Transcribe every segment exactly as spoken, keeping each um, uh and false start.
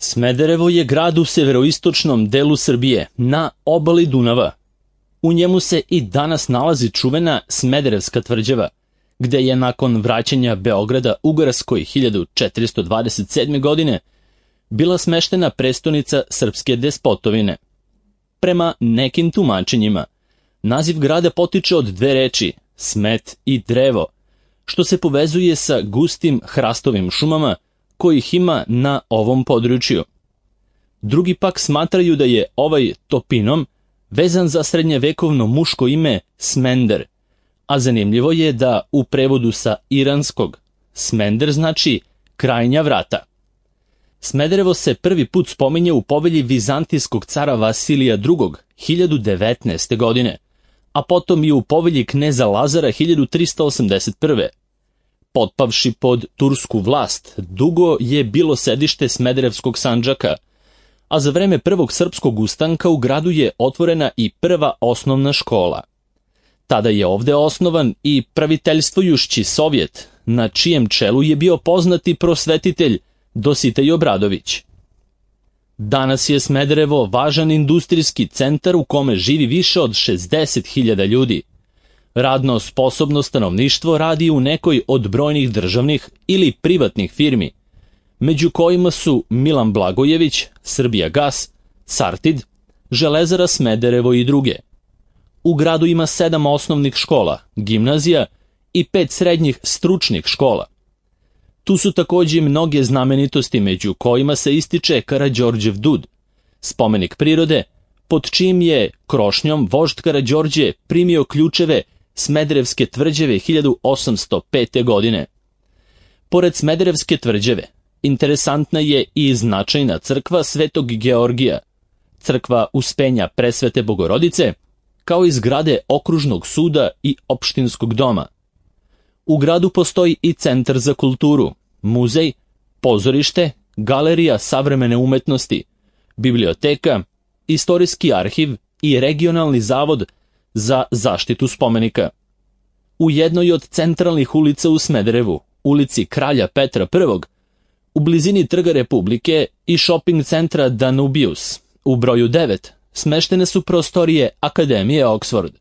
Smederevo je grad u severoistočnom delu Srbije, na obali Dunava. U njemu se i danas nalazi čuvena Smederevska tvrđava, gde je nakon vraćanja Beograda Ugarskoj hiljadu četiristo dvadeset sedme. godine bila smeštena prestonica srpske despotovine. Prema nekim tumačenjima, naziv grada potiče od dve reči, smet i drevo, što se povezuje sa gustim hrastovim šumama kojih ima na ovom području. Drugi pak smatraju da je ovaj topinom vezan za srednjevekovno muško ime Smender, a zanimljivo je da u prevodu sa iranskog Smender znači krajnja vrata. Smederevo se prvi put spominje u povelji vizantijskog cara Vasilija drugog. hiljadu devetnaeste. godine, a potom i u povelji kneza Lazara hiljadu tristo osamdeset prve. Potpavši pod tursku vlast, dugo je bilo sedište Smederevskog Sandžaka, a za vreme prvog srpskog ustanka u gradu je otvorena i prva osnovna škola. Tada je ovde osnovan i praviteljstvujući Sovjet, na čijem čelu je bio poznati prosvetitelj Dositej Obradović. Danas je Smederevo važan industrijski centar u kome živi više od šezdeset hiljada ljudi. Radno sposobno stanovništvo radi u nekoj od brojnih državnih ili privatnih firmi, među kojima su Milan Blagojević, Srbijagas, Sartid, Železara Smederevo i druge. U gradu ima sedam osnovnih škola, gimnazija i pet srednjih stručnih škola. Tu su takođe mnoge znamenitosti, među kojima se ističe Karađorđev dud, spomenik prirode, pod čijim je krošnjom vožd Karađorđe primio ključeve Smederevske tvrđave hiljadu osamsto pete. godine. Pored Smederevske tvrđave, interesantna je i značajna crkva Svetog Georgija, crkva Uspenja Presvete Bogorodice, kao i zgrade okružnog suda i opštinskog doma. U gradu postoji i centar za kulturu, muzej, pozorište, galerija savremene umetnosti, biblioteka, istorijski arhiv i regionalni zavod za zaštitu spomenika. U jednoj od centralnih ulica u Smederevu, ulici Kralja Petra prvog, u blizini Trga Republike i shopping centra Danubius, u broju devet, smeštene su prostorije Akademije Oxford.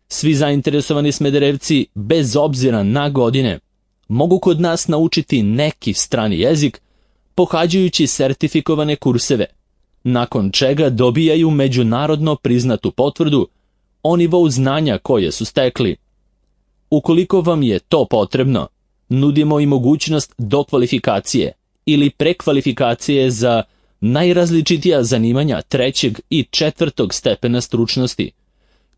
Svi zainteresovani Smederevci, bez obzira na godine, mogu kod nas naučiti neki strani jezik pohađajući sertifikovane kurseve, nakon čega dobijaju međunarodno priznatu potvrdu o nivou znanja koje su stekli. Ukoliko vam je to potrebno, nudimo i mogućnost dokvalifikacije ili prekvalifikacije za najrazličitija zanimanja trećeg i četvrtog stepena stručnosti,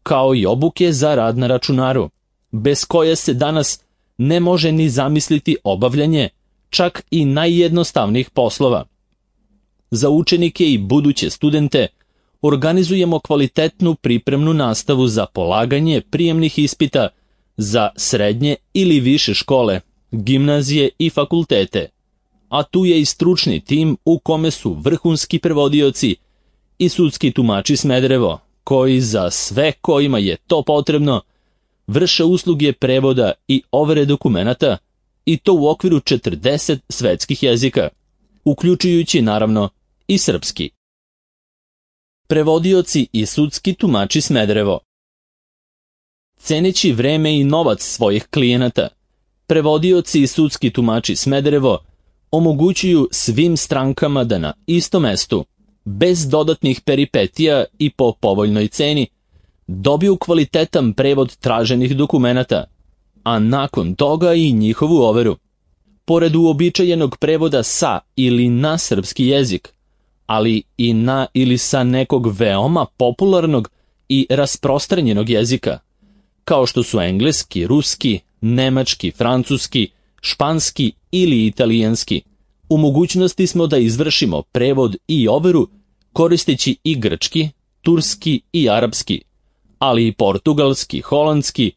kao i obuke za rad na računaru, bez koje se danas ne može ni zamisliti obavljanje čak i najjednostavnijih poslova. Za učenike i buduće studente organizujemo kvalitetnu pripremnu nastavu za polaganje prijemnih ispita za srednje ili više škole, gimnazije i fakultete, a tu je i stručni tim u kome su vrhunski prevodioci i sudski tumači Smederevo, koji za sve kojima je to potrebno vrše usluge prevoda i overe dokumenata, i to u okviru četrdeset svetskih jezika, uključujući naravno i srpski. Prevodioci i sudski tumači Smederevo. Ceneći vreme i novac svojih klijenata, prevodioci i sudski tumači Smederevo omogućuju svim strankama da na istom mestu, bez dodatnih peripetija i po povoljnoj ceni, dobiju kvalitetan prevod traženih dokumenata, a nakon toga i njihovu overu. Pored uobičajenog prevoda sa ili na srpski jezik, ali i na ili sa nekog veoma popularnog i rasprostranjenog jezika, kao što su engleski, ruski, nemački, francuski, španski ili italijanski, u mogućnosti smo da izvršimo prevod i overu koristeći i grčki, turski i arapski, ali i portugalski, holandski,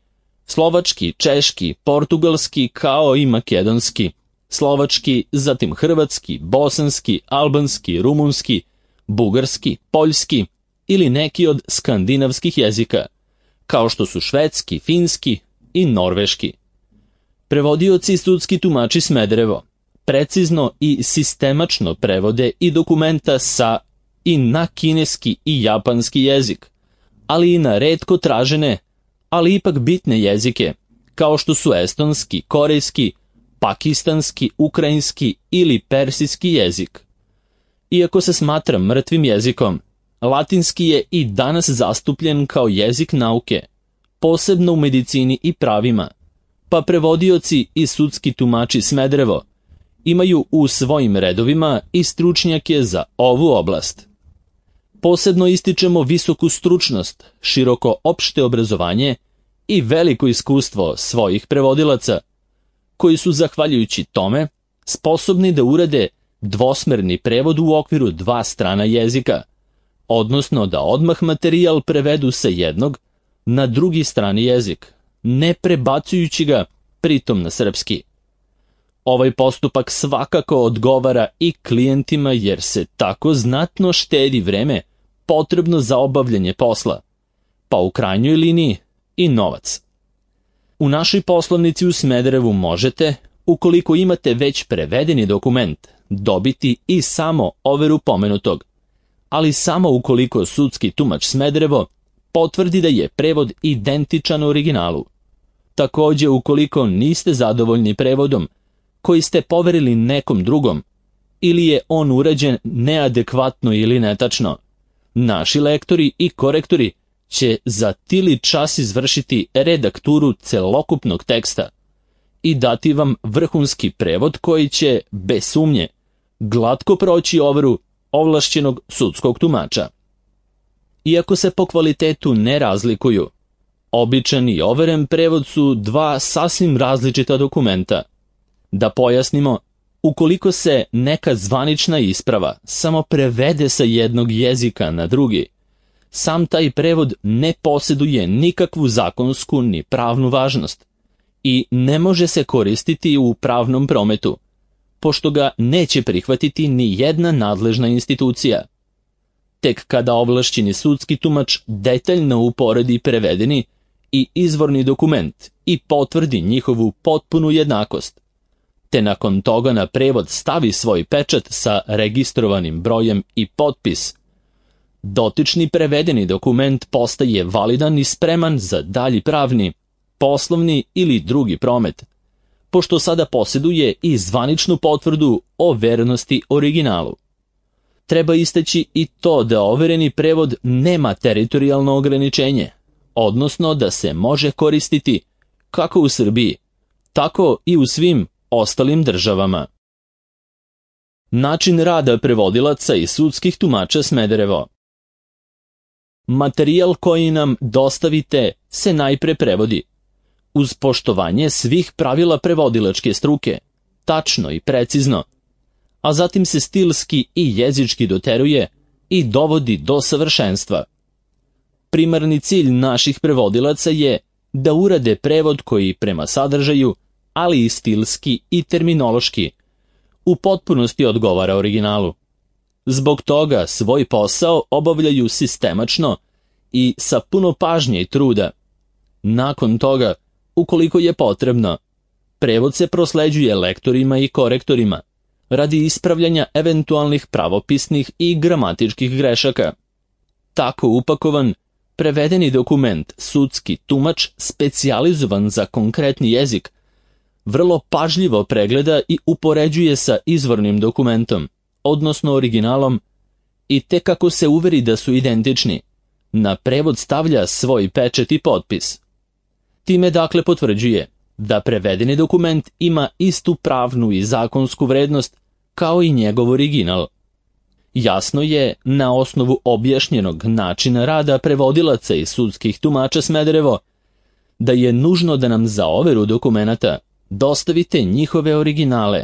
slovački, češki, portugalski kao i makedonski, slovački, zatim hrvatski, bosanski, albanski, rumunski, bugarski, poljski ili neki od skandinavskih jezika, kao što su švedski, finski i norveški. Prevodioci i sudski tumači Smederevo precizno i sistemačno prevode i dokumenta sa i na kineski i japanski jezik, ali i na retko tražene, ali ipak bitne jezike, kao što su estonski, korejski, pakistanski, ukrajinski ili persijski jezik. Iako se smatra mrtvim jezikom, latinski je i danas zastupljen kao jezik nauke, posebno u medicini i pravima, pa prevodioci i sudski tumači Smederevo imaju u svojim redovima i stručnjake za ovu oblast. Posebno ističemo visoku stručnost, široko opšte obrazovanje i veliko iskustvo svojih prevodilaca, koji su, zahvaljujući tome, sposobni da urade dvosmerni prevod u okviru dva strana jezika, odnosno da odmah materijal prevedu sa jednog na drugi strani jezik, ne prebacujući ga pritom na srpski. Ovaj postupak svakako odgovara i klijentima jer se tako znatno štedi vreme potrebno za obavljanje posla, pa u krajnjoj liniji i novac. U našoj poslovnici u Smederevu možete, ukoliko imate već prevedeni dokument, dobiti i samo overu pomenutog, ali samo ukoliko sudski tumač Smederevo potvrdi da je prevod identičan originalu. Takođe, ukoliko niste zadovoljni prevodom koji ste poverili nekom drugom ili je on urađen neadekvatno ili netačno, naši lektori i korektori će za tili čas izvršiti redakturu celokupnog teksta i dati vam vrhunski prevod koji će, bez sumnje, glatko proći overu ovlašćenog sudskog tumača. Iako se po kvalitetu ne razlikuju, običan i overen prevod su dva sasvim različita dokumenta. Da pojasnimo, ukoliko se neka zvanična isprava samo prevede sa jednog jezika na drugi, sam taj prevod ne posjeduje nikakvu zakonsku ni pravnu važnost i ne može se koristiti u pravnom prometu, pošto ga neće prihvatiti ni jedna nadležna institucija. Tek kada ovlašćeni sudski tumač detaljno uporedi prevedeni i izvorni dokument i potvrdi njihovu potpunu jednakost, te nakon toga na prevod stavi svoj pečat sa registrovanim brojem i potpis, dotični prevedeni dokument postaje validan i spreman za dalji pravni, poslovni ili drugi promet, pošto sada posjeduje i zvaničnu potvrdu o vernosti originalu. Treba istaći i to da overeni prevod nema teritorijalno ograničenje, odnosno da se može koristiti kako u Srbiji, tako i u svim ostalim državama. Način rada prevodilaca i sudskih tumača Smederevo. Materijal koji nam dostavite se najpre prevodi, uz poštovanje svih pravila prevodilačke struke, tačno i precizno, a zatim se stilski i jezički doteruje i dovodi do savršenstva. Primarni cilj naših prevodilaca je da urade prevod koji prema sadržaju, ali i stilski i terminološki, u potpunosti odgovara originalu. Zbog toga svoj posao obavljaju sistemačno i sa puno pažnje i truda. Nakon toga, ukoliko je potrebno, prevod se prosleđuje lektorima i korektorima radi ispravljanja eventualnih pravopisnih i gramatičkih grešaka. Tako upakovan, prevedeni dokument, sudski tumač specijalizovan za konkretni jezik, vrlo pažljivo pregleda i upoređuje sa izvornim dokumentom, odnosno originalom, i tek kako se uveri da su identični, na prevod stavlja svoj pečat i potpis. Time dakle potvrđuje da prevedeni dokument ima istu pravnu i zakonsku vrednost kao i njegov original. Jasno je, na osnovu objašnjenog načina rada prevodilaca i sudskih tumača Smederevo, da je nužno da nam za overu dokumenata dostavite njihove originale,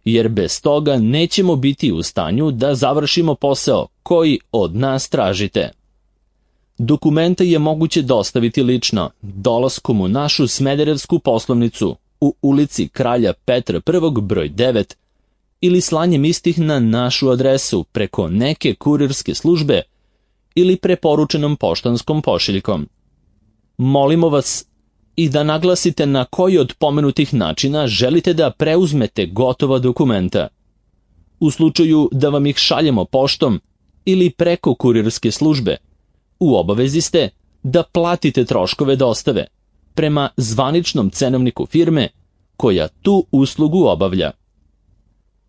jer bez toga nećemo biti u stanju da završimo posao koji od nas tražite. Dokumente je moguće dostaviti lično, dolaskom u našu smederevsku poslovnicu u ulici Kralja Petra I broj devet ili slanjem istih na našu adresu preko neke kurirske službe ili preporučenom poštanskom pošiljkom. Molimo vas i da naglasite na koji od pomenutih načina želite da preuzmete gotova dokumenta. U slučaju da vam ih šaljemo poštom ili preko kurirske službe, u obavezi ste da platite troškove dostave prema zvaničnom cenovniku firme koja tu uslugu obavlja.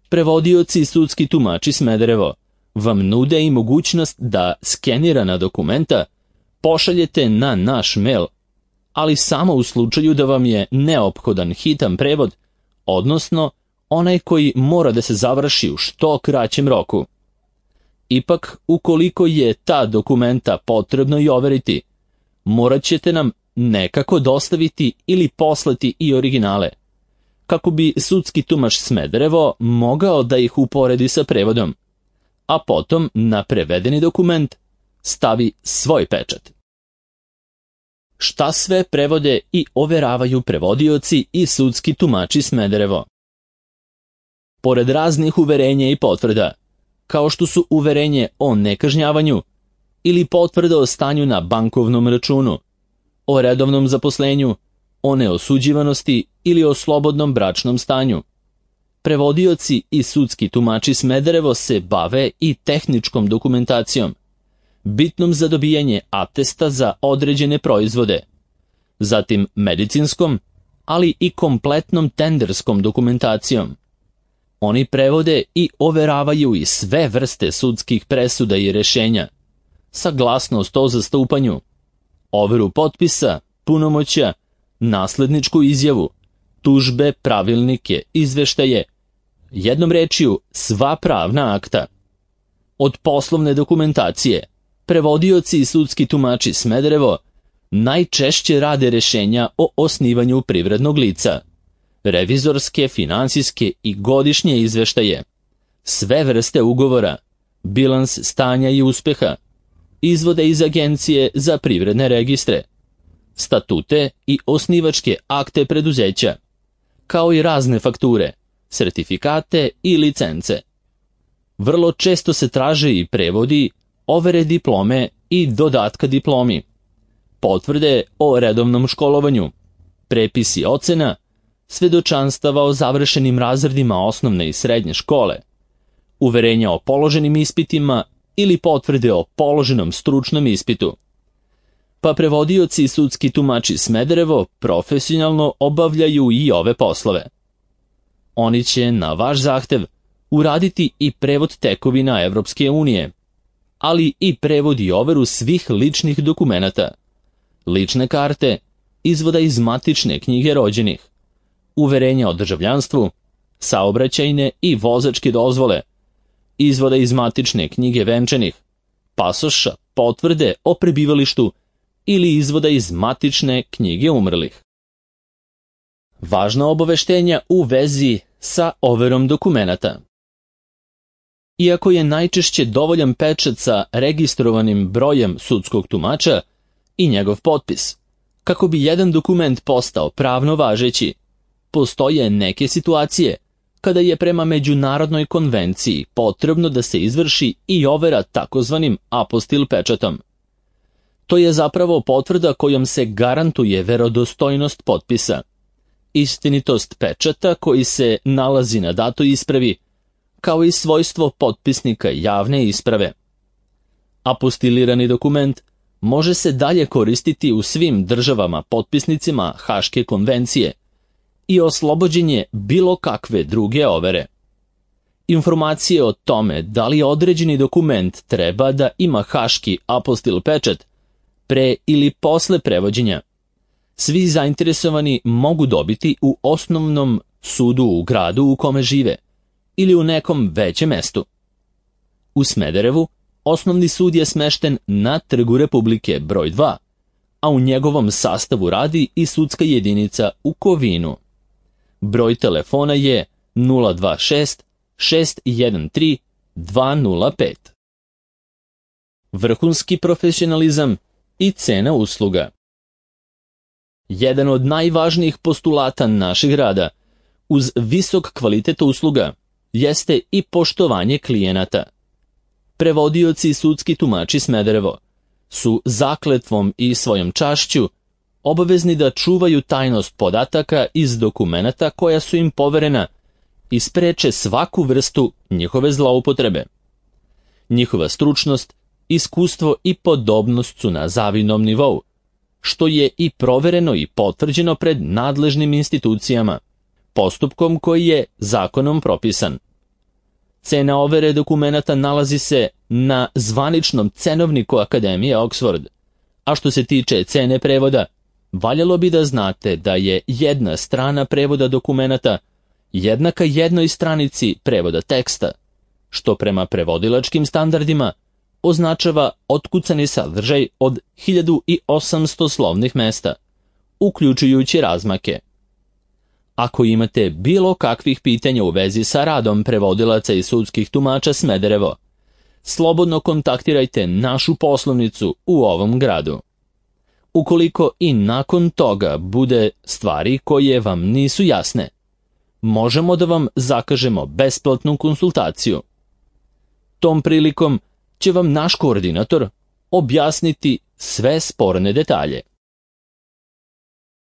Prevodioci i sudski tumači Smederevo vam nude i mogućnost da skenirana dokumenta pošaljete na naš mail, ali samo u slučaju da vam je neophodan hitan prevod, odnosno onaj koji mora da se završi u što kraćem roku. Ipak, ukoliko je ta dokumenta potrebno i overiti, morat ćete nam nekako dostaviti ili poslati i originale, kako bi sudski tumač Smederevo mogao da ih uporedi sa prevodom, a potom na prevedeni dokument stavi svoj pečat. Šta sve prevode i overavaju prevodioci i sudski tumači Smederevo? Pored raznih uverenja i potvrda, kao što su uverenje o nekažnjavanju ili potvrda o stanju na bankovnom računu, o redovnom zaposlenju, o neosuđivanosti ili o slobodnom bračnom stanju, prevodioci i sudski tumači Smederevo se bave i tehničkom dokumentacijom, bitnom za dobijanje atesta za određene proizvode, zatim medicinskom, ali i kompletnom tenderskom dokumentacijom. Oni prevode i overavaju i sve vrste sudskih presuda i rešenja, saglasnost o zastupanju, overu potpisa, punomoćja, nasledničku izjavu, tužbe, pravilnike, izveštaje, jednom rečju sva pravna akta. Od poslovne dokumentacije, prevodioci i sudski tumači Smederevo najčešće rade rešenja o osnivanju privrednog lica, revizorske, finansijske i godišnje izveštaje, sve vrste ugovora, bilans stanja i uspeha, izvode iz agencije za privredne registre, statute i osnivačke akte preduzeća, kao i razne fakture, sertifikate i licence. Vrlo često se traže i prevodi, overe diplome i dodatka diplomi, potvrde o redovnom školovanju, prepisi ocena, svedočanstava o završenim razredima osnovne i srednje škole, uverenja o položenim ispitima ili potvrde o položenom stručnom ispitu. Pa prevodioci i sudski tumači Smederevo profesionalno obavljaju i ove poslove. Oni će na vaš zahtev uraditi i prevod tekovina Evropske unije, ali i prevod i overu svih ličnih dokumenata, lične karte, izvoda iz matične knjige rođenih, uverenja o državljanstvu, saobraćajne i vozačke dozvole, izvoda iz matične knjige venčanih, pasoša, potvrde o prebivalištu ili izvoda iz matične knjige umrlih. Važna obaveštenja u vezi sa overom dokumenata. Iako je najčešće dovoljan pečat sa registrovanim brojem sudskog tumača i njegov potpis, kako bi jedan dokument postao pravno važeći, postoje neke situacije kada je prema međunarodnoj konvenciji potrebno da se izvrši i overa takozvanim apostil pečatom. To je zapravo potvrda kojom se garantuje verodostojnost potpisa, istinitost pečata koji se nalazi na datoj ispravi, kao i svojstvo potpisnika javne isprave. Apostilirani dokument može se dalje koristiti u svim državama potpisnicima Haške konvencije i oslobođen je bilo kakve druge overe. Informacije o tome da li određeni dokument treba da ima haški apostil pečat pre ili posle prevođenja, svi zainteresovani mogu dobiti u osnovnom sudu u gradu u kome žive ili u nekom većem mestu. U Smederevu osnovni sud je smešten na Trgu Republike broj dva, a u njegovom sastavu radi i sudska jedinica u Kovinu. Broj telefona je nula dva šest šest jedan tri dva nula pet. Vrhunski profesionalizam i cena usluga. Jedan od najvažnijih postulata našeg rada, uz visok kvalitet usluga, jeste i poštovanje klijenata. Prevodioci i sudski tumači Smederevo su zakletvom i svojom čašću obavezni da čuvaju tajnost podataka iz dokumenata koja su im poverena i spreče svaku vrstu njihove zloupotrebe. Njihova stručnost, iskustvo i podobnost su na zavidnom nivou, što je i provereno i potvrđeno pred nadležnim institucijama, postupkom koji je zakonom propisan. Cena overe dokumenata nalazi se na zvaničnom cenovniku Akademije Oxford, a što se tiče cene prevoda, valjalo bi da znate da je jedna strana prevoda dokumenata jednaka jednoj stranici prevoda teksta, što prema prevodilačkim standardima označava otkucani sadržaj od hiljadu osamsto slovnih mesta, uključujući razmake. Ako imate bilo kakvih pitanja u vezi sa radom prevodilaca i sudskih tumača Smederevo, slobodno kontaktirajte našu poslovnicu u ovom gradu. Ukoliko i nakon toga bude stvari koje vam nisu jasne, možemo da vam zakažemo besplatnu konsultaciju. Tom prilikom će vam naš koordinator objasniti sve sporne detalje.